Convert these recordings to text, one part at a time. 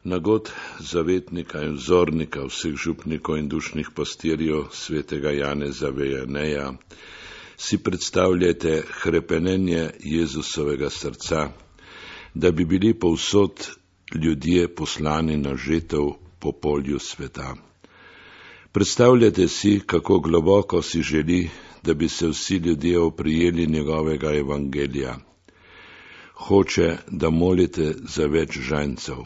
Nagod zavetnika in vzornika vseh župnikov in dušnih pastirjev svetega Janeza Vejaneja si predstavljajte hrepenenje Jezusovega srca, da bi bili povsod ljudje poslani na žetev po polju sveta. Predstavljajte si, kako globoko si želi, da bi se vsi ljudje oprijeli njegovega evangelija. Hoče, da molite za več žanjcev.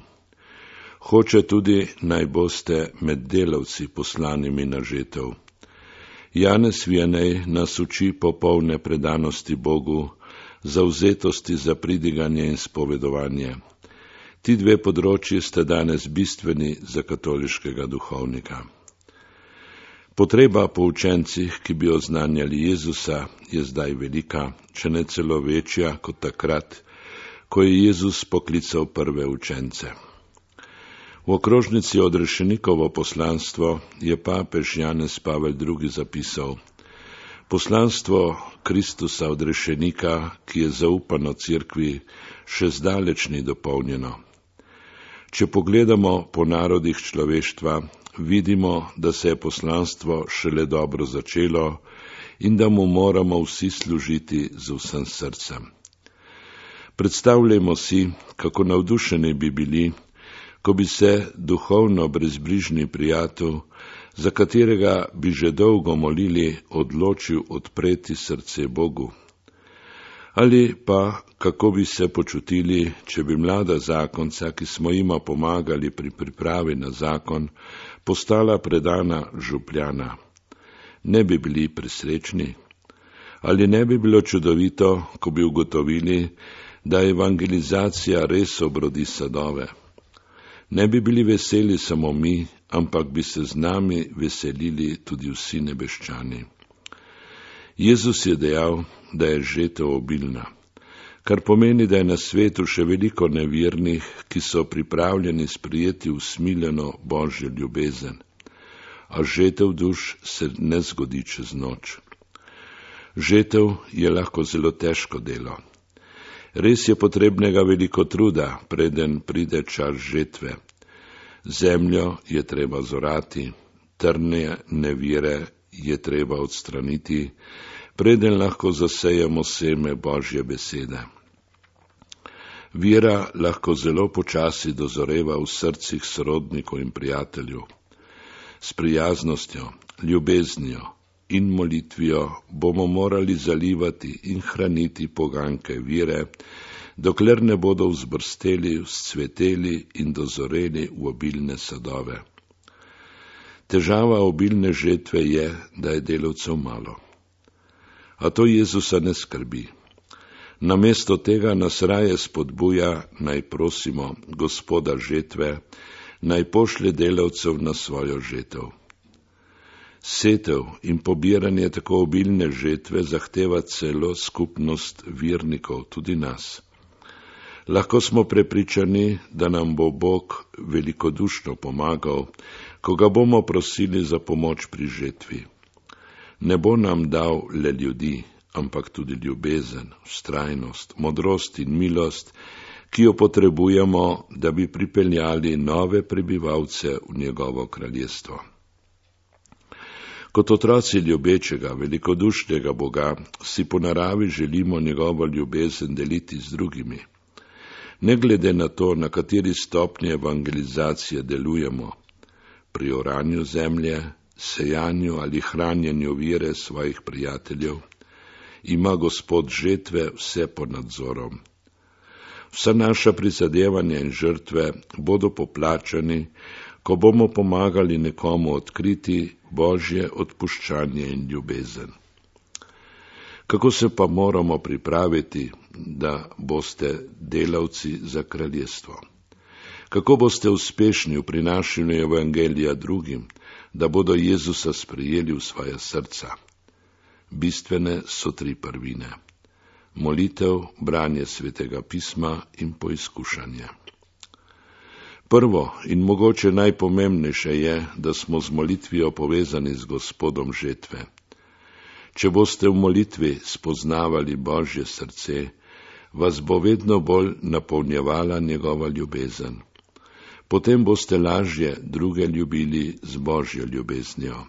Hoče tudi, naj boste med delavci poslanimi na žetev. Janez Vijanej nas uči popolne predanosti Bogu, zavzetosti za pridiganje in spovedovanje. Ti dve področji sta danes bistveni za katoliškega duhovnika. Potreba po učencih, ki bi oznanjali Jezusa, je zdaj velika, če ne celo večja kot takrat, ko je Jezus poklical prve učence. V okrožnici Odrešenikovo poslanstvo je papež Janez Pavel II. Zapisal: Poslanstvo Kristusa odrešenika, ki je zaupano cerkvi, še zdaleč ni dopolnjeno. Če pogledamo po narodih človeštva, vidimo, da se je poslanstvo šele dobro začelo in da mu moramo vsi služiti z vsem srcem. Predstavljajmo si, kako navdušeni bi bili, ko bi se duhovno brezbrižni prijatelj, za katerega bi že dolgo molili, odločil odpreti srce Bogu. Ali pa kako bi se počutili, če bi mlada zakonca, ki smo jima pomagali pri pripravi na zakon, postala predana župljana. Ne bi bili presrečni? Ali ne bi bilo čudovito, ko bi ugotovili, da evangelizacija res obrodi sadove? Ne bi bili veseli samo mi, ampak bi se z nami veselili tudi vsi nebeščani. Jezus je dejal, da je žetev obilna, kar pomeni, da je na svetu še veliko nevernih, ki so pripravljeni sprejeti usmiljeno Božjo ljubezen. A žetev duš se ne zgodi čez noč. Žetev je lahko zelo težko delo. Res je potrebnega veliko truda, preden pride čas žetve. Zemljo je treba zorati, trne nevire je treba odstraniti, preden lahko zasejemo seme Božje besede. Vera lahko zelo počasi dozoreva v srcih sorodnikov in prijateljev. S prijaznostjo, ljubeznijo in molitvijo bomo morali zalivati in hraniti poganke vire, dokler ne bodo vzbrsteli, vzcveteli in dozoreli v obilne sadove. Težava obilne žetve je, da je delavcev malo. A to Jezusa ne skrbi. Namesto tega nas raje spodbuja, naj prosimo Gospoda žetve, naj pošlje delavcev na svojo žetev. Setev in pobiranje tako obilne žetve zahteva celo skupnost vernikov, tudi nas. Lahko smo prepričani, da nam bo Bog velikodušno pomagal, ko ga bomo prosili za pomoč pri žetvi. Ne bo nam dal le ljudi, ampak tudi ljubezen, vztrajnost, modrost in milost, ki jo potrebujemo, da bi pripeljali nove prebivalce v njegovo kraljestvo. Kot otroci ljubečega, velikodušnega Boga si po naravi želimo njegovo ljubezen deliti z drugimi. Ne glede na to, na kateri stopnji evangelizacije delujemo, pri oranju zemlje, sejanju ali hranjenju vere svojih prijateljev, ima Gospod žetve vse pod nadzorom. Vsa naša prizadevanja in žrtve bodo poplačani, ko bomo pomagali nekomu odkriti Božje odpuščanje in ljubezen. Kako se pa moramo pripraviti, da boste delavci za kraljestvo? Kako boste uspešni v prinašanju evangelija drugim, da bodo Jezusa sprejeli v svoja srca? Bistvene so 3 prvine: molitev, branje svetega pisma in poizkušanje. Prvo in mogoče najpomembnejše je, da smo z molitvijo povezani z Gospodom žetve. Če boste v molitvi spoznavali Božje srce, vas bo vedno bolj napolnjevala njegova ljubezen. Potem boste lažje druge ljubili z Božjo ljubeznijo.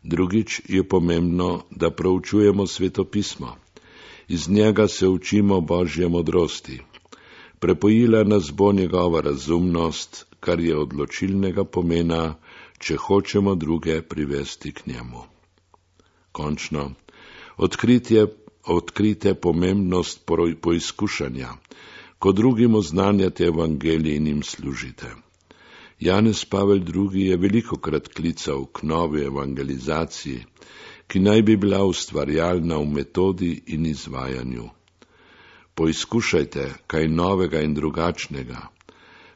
Drugič je pomembno, da proučujemo Svetopismo. Iz njega se učimo Božje modrosti. Prepojila nas bo njegova razumnost, kar je odločilnega pomena, če hočemo druge privesti k njemu. Končno, odkrite pomembnost poizkušanja, ko drugim oznanjate evangelij in jim služite. Janez Pavel II. Je velikokrat klical k novi evangelizaciji, ki naj bi bila ustvarjalna v metodi in izvajanju. Poizkušajte kaj novega in drugačnega,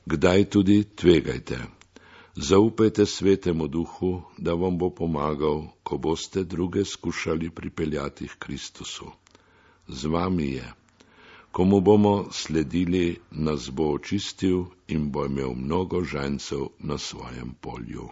kdaj tudi tvegajte. Zaupajte Svetemu Duhu, da vam bo pomagal, ko boste druge skušali pripeljati k Kristusu. Z vami je. Komu bomo sledili, nas bo očistil in bo imel mnogo žajncev na svojem polju.